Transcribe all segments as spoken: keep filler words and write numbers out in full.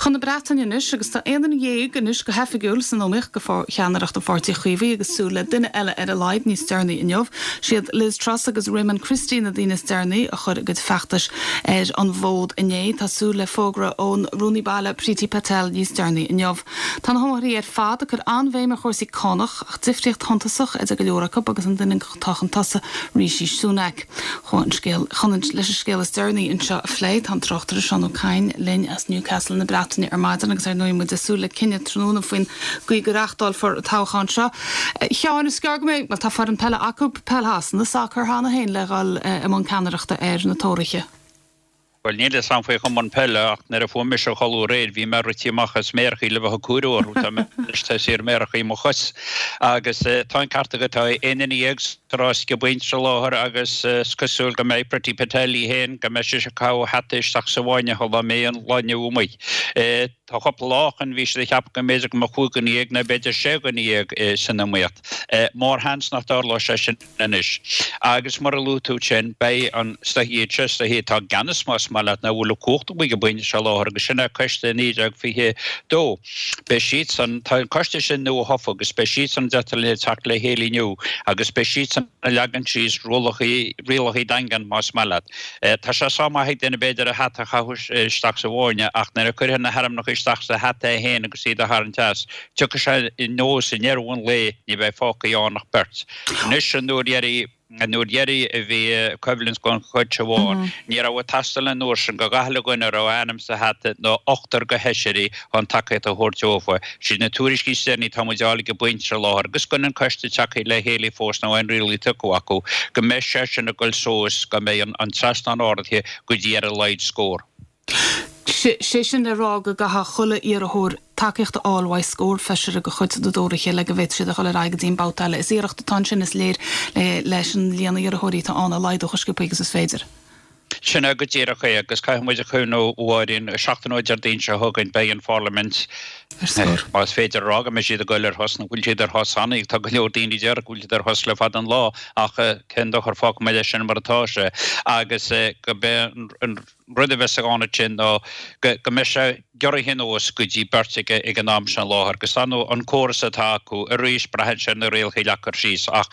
Chun na Breataine anois agus tá aon duine dhéag anois go hoifigiúil san iomaíocht do cheannaireacht an Pháirtí Chaomhaigh agus súil le duine eile ar a laghad níos deireanaí inniu. Siad Liz Truss agus Raymond Christie na daoine is deireanaí a chuir a gcuid feachtais ar an bhfód inné tá súil le fógra ón Rúnaí Baile Priti Patel níos deireanaí inniu. Tá na hiomaitheoirí ar fad ag cur an-bhéim ar chúrsaí cánach ach difríocht shuntasach idir go leor acu agus an duine atá chun tosaigh Rishi Sunak. Chun scéal chun leis an scéal is deireanaí anseo a phlé tá an tráchtaire Seán Ó Cadhain linn as Newcastle na Breataine ar maidin agus ar ndóigh muid ag súil le cinneadh tráthnóna faoin gcaoi go reáchtálfar an toghchán seo. Sheáin is gearr go mbeidh tá foireann peile acu peil Shasana sacar cheana féin le dhul i mbun ceannaireachta ar na Tóraithe. Well níl a fhios agam faoi chumann peile ach nuair a fuair mise a chodladh aréir bhí mé rite amach as méarachaí le bheith ag comhaireamh orthu tá ar méarachaí mo chos agus tá an ceart agat tá aon duine dhéag sa rás ag an bpointe seo láthair agus is cosúil go mbeidh Priti Patel í féin go mbeidh sí ag caitheamh a hata isteach sa bhfáinne dá mbeidh an lá inniu amuigh. Tá cúpla lá ó shin bhí siad ag ceapadh go mb'fhéidir go mbeadh cúig dhuine dhéag nó b'fhéidir sé dhuine dhéag san iomaíocht. Mórsheans nach dtarlóidh sé sin anois. Agus mar a luaigh tú sin, beidh an iad seo is dóichí atá i gceannas más maith leat nó a bhfuil an chumhacht amuigh ag an bpointe seo láthair agus sin é Coiste naoi déag fiche dó. Beidh siadsan, tá an coiste sin nua-thofa agus beidh siadsan deirtear linn ag teacht le chéile inniu agus beidh siadsan ag leagan síos rialacha, rialacha daingean más maith leat. Tá sé sách maith ag duine b'fhéidir a hata a chaitheamh isteach sa bhfáinne ach nuair a chuirfidh na hainmneacha isteach sa hata é féin agus iad a tharraingt as, tiocfaidh sé anuas i ndeireadh an lae, ní bheidh fágtha ann ach beirt. Anois an uair dheiridh, an uair dheiridh a bhí coimhlint den chuid seo ann, ní raibh ag teastáil an uair sin go gach uile dhuine a raibh a ainm sa hata ná ochtar de fheisirí chun tacaíocht a thabhairt dófa. Siad na tuairiscí is deireanaí atá muid a fháil ag an bpointe seo láthair agus gan an coiste tagtha le chéile fós nó aon rialacha tugtha acu, go mbeidh sé sin ag dul suas, go mbeidh an trasnán ardaithe go dtí ar a laghad scór. Sé sin le rá go gcaithfidh chuile iarrthóir tacaíocht a fháil uaidh scór feisire de chuid na dTóraithe le go bhféadfadh siad a dhul ar aghaidh go dtí an babhta eile. Is iarracht atá ansin is léir leis an líon iarrthóirí atá ann a laghdú chomh sciobtha agus is féidir. Sin é go díreach é agus caithfidh muid a chuimhniú a Mháirín, seachtain ó Déardaoin seo chugainn beidh an Pharlaimint, más féidir a rá go mbeidh siad ag goil ar shos, nach bhfuil siad ar shos cheana, tá go leor daoine a deir go bhfuil siad ar shos le fada an lá ach cén dochar fágfaidh muid é sin mar atá sé agus go mbeidh an rud a bheas ann ansin ná go mbeidh sé giorraithe anuas go dtí beirt ag an am sin láthair agus ar ndóigh an córas atá acu arís braitheann sé ar na rialacha a leagtar síos ach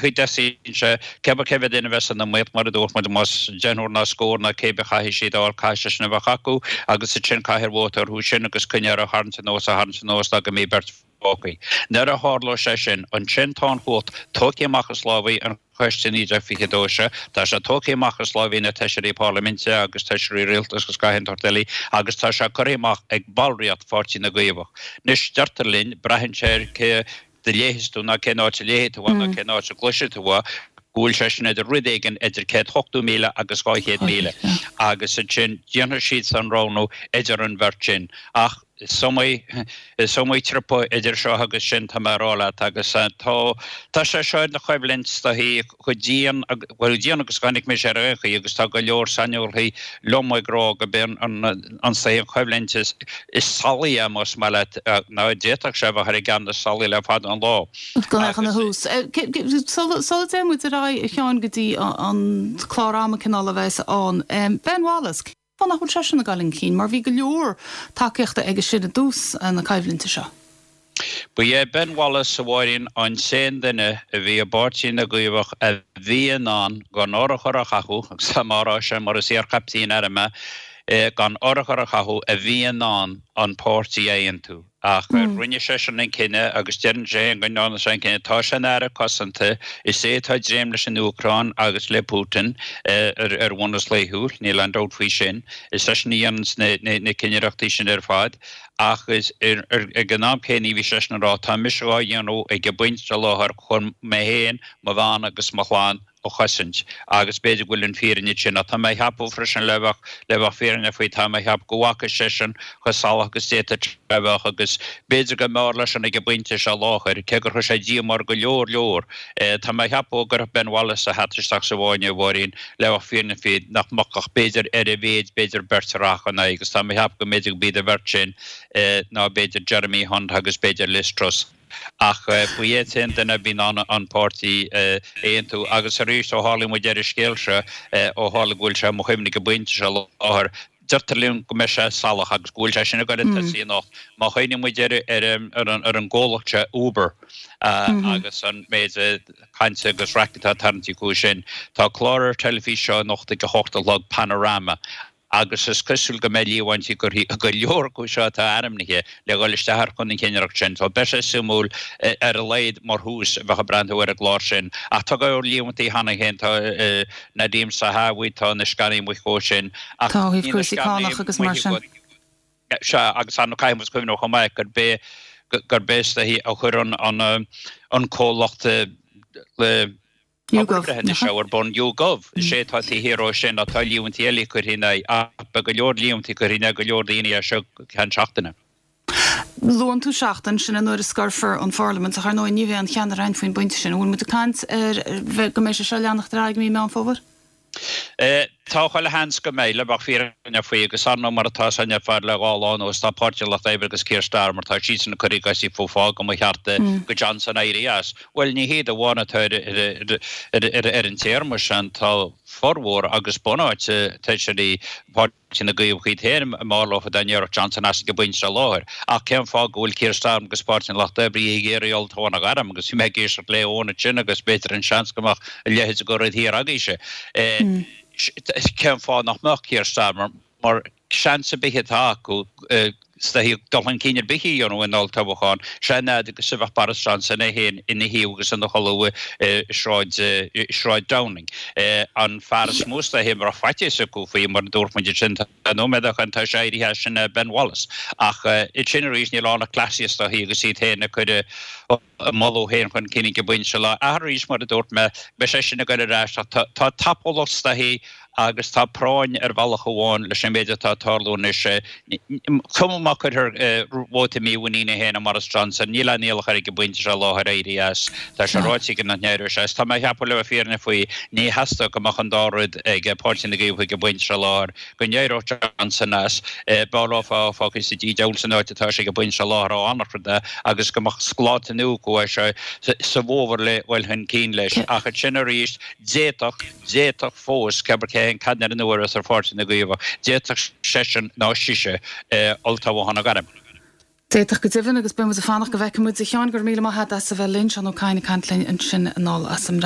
chuid de sé cé cé mhéad duine a bheas san iomaíocht mar a dúirt muid más deichniúr ná scór ná cé bith caithfidh siad a fháil caithfidh sé sin a bheith acu agus ansin caithfear vóta orthu sin agus coinneáil á tharraingt anuas á tharraingt anuas go mbeidh beirt fágtha. Nuair a tharlóidh sé sin, ansin tá an chumhacht tógtha amach as lámhaí an Choiste naoi déag fiche dó seo, tá sé tógtha amach as lámhaí na bhfeisirí parlaiminte agus feisirí rialtais agus gach aon tsórt eile agus tá sé curtha amach ag ballraíocht Pháirtí na gCaomhach. Anois deirtear linn, braitheann sé ar cé a léifeas tú ná cén áit a léifidh tú ná cén áit a gcloisfidh tú go bhfuil sé sin idir rud éigin idir céad ochtó míle agus dhá chéad míle agus ansin déanfaidh siad an roghnú idir an bheirt sin ach is iomaí is iomaí trip idir seo agus sin tá mé a rá leat agus tá tá sé seo ina choimhlint is dóichí chomh dian bhuel dian agus a chonaic mise ar aon chaoi agus tá go leor saineolaithe liom ag rá go b'é an an an choimhlint is is salaí é más maith leat ná d'fhéadfadh sé a bheith ar an gceann is salaí le fada an lá. Go mbeadh ina thús. Sula dtéann muid ar aghaidh a Sheáin go dtí an clár ama cineál a bheas ann. Ben Wallace, cén fáth nach bhfuil seisean ag dul chun cinn mar bhí go leor tacaíochta aige sin i dtús na coimhlinte seo. Ba é Ben Wallace a Mháirín an t-aon duine a bhí i bPáirtí na gCaomhach a bhí in ann gan urchar a chaitheamh, agus tá mé á rá sin mar is iarchaiptín airm mé, gan urchar a chaitheamh a bhí in ann an páirtí a aontú. Ach rinne seisean an cinneadh agus deireann sé féin go ndearna sé an cinneadh. Tá sé ina aire cosanta, is é atá ag dréim leis an Úcráin agus le Putin ar bhunús laethúil, níl aon dabht faoi sin. Is eisean a dhéananns na cinnireachtaí sin ar fad. Ach ag an am céanna bhí seisean ag rá, tá mise á dhéanamh ag an bpointe i láthair chun mé féin, mo bhean agus mo chlann a chosaint agus b'fhéidir go bhfuil an fírinne sin ach tá mé a cheapadh freisin le bheith le bheith fírinneach faoi tá mé a cheapadh go bhfaca seisean chomh salach agus d'fhéadfadh sé a bheith agus b'fhéidir go mb'fhearr leisean ag an bpointe seo láthair cé gur chuir sé díomá ar go leor leor tá mé a cheapadh go gcuirfeadh Ben Wallace a hata isteach sa bhfáinne a Mháirín le bheith fírinneach faoi nach mbeadh ach b'fhéidir ar a mhéid b'fhéidir beirt a rachadh ina aghaidh agus tá mé a cheapadh go mb'fhéidir go b'iad an bheirt sin ná b'fhéidir Jeremy Hunt agus b'fhéidir Liz Truss. Ach ba é an t-aon duine a bhí in ann an páirtí a aontú. Agus arís, ó tharla muid ar an scéal seo, ó tharla go bhfuil sé i mo chuimhne ag an bpointe seo láthair, Deirtear linn go mbeidh sé salach agus go bhfuil sé sin ag goil ag tosaí anocht. Má chuimhníonn muid ar ar an gcomhlacht seo Uber agus an méid cainte agus raic atá tarraingthe acu sin, tá clár ar teilifís seo anocht ag a hocht a chlog, Panorama, agus is cosúil go mbeidh líomhaintí curtha ag go leor acu seo atá ainmnithe le dhul isteach chun an chinnireacht sin. So beidh sé suimiúil ar a laghad mar thús a bheith ag breathnú ar an gclár sin. Ach tá go leor líomhaintí cheana féin, tá Nadhim Zahawi, tá na scannaí amuigh chomh sin ach Tá ó thaobh cúrsaí cánach agus mar sin. Sea, agus ar ndóigh caithfidh muid cuimhneamh chomh maith gurb é gurb é is dóichí a chuir an an comhlacht le YouGov, breithiúnais seo ar bun, YouGov, is é atá taobh thiar dó sin ach tá líomhaintí eile curtha ina aghaidh ach beidh go leor líomhaintí curtha in aghaidh go leor daoine as seo go ceann seachtaine. Luann tú seachtain, sin an uair a scoirfear an Pharlaimint, ach ar ndóigh ní bheidh an cheannaire ann faoin bpointe sin. An bhfuil muid ag caint ar bheith go mbeidh sé seo ag leanacht ar aghaidh i mí Meán Fómhair? Tá chuile sheans go mbeidh, le bheith fírinneach faoi, agus ar ndóigh mar atá san ar fad le dhá lá anuas, tá Páirtí an Lucht Oibre agus Keir Starmer, tá siadsan ag cur a gcosa fúthu fá go mba cheart do Johnson éirí as. Bhuel, ní hiad amháin atá ar an téarma sin, tá formhór agus bunáite feisirí Páirtí na gCaomhach iad féin b'fhearr leo dá n-éireodh Johnson as ag an bpointe seo i láthair. Ach cén fáth go bhfuil Keir Starmer agus Páirtí an Lucht Oibre ag iarraidh olltoghchán a ghairm agus bhí mé ag éisteacht le Eoin ansin agus b'fhéidir an seans go mbeadh a leithéid de rud thiar agaibhse. Cén fáth nach mbeadh Keir Starmer mar seans ar bith atá acu is dóichí dul chun cinn ar bith a dhéanamh in olltoghchán, sé an fhad agus a bheadh Boris Johnson é féin ina shuí agus ina chodladh i Sráid i Sráid Downing. An fear is mó is dóichí a raibh faitíos acu faoi, mar a dúirt muid ansin, tá nóiméad ó shin, tá sé éirithe as, sin Ben Wallace. Ach ansin arís níl ann ach cleasaí is dóichí agus iad féin ag cur a moladh féin chun cinn ag an bpointe seo. Ach arís, mar a dúirt mé, beidh sé sin ag dul ar ais ach tá tapúlacht is dóichí agus tá práinn ar bhealach amháin leis an méid atá ag tarlú anois. Cuma má cuirthear vóta mímhuiníne féin i mBoris Johnson, níl aon iallach air ag an bpointe seo i láthair éirí as. Tá sé ráite aige nach n-éireoidh sé as. Tá mé ag ceapadh le bheith fírinneach faoi, ní theastódh go mbeadh an dá rud ag Páirtí na gCaomhach ag an bpointe seo i láthair, go n-éireodh Johnson as, b'fhearr leo é fágáil sa dídean san áit atá sé ag an bpointe seo i láthair ó fhanacht de agus go mbeadh scláta nua acu é seo sa bhfómhar le dhul chun cinn leis. Ach ansin arís, d'fhéadfadh. D'fhéadfadh fós, cébrí cé an ceannaire nua a bheas ar Pháirtí na gCaomhach, d'fhéadfadh seisean nó sise olltoghchán a ghairm. D'fhéadfadh go deimhin, agus beidh muid ag fanacht go bhfeicfidh muid. A Sheáin, go raibh míle maith agat as a bheith linn. Seán Ó Cadhain ag caint linn ansin anall as an mBreatain.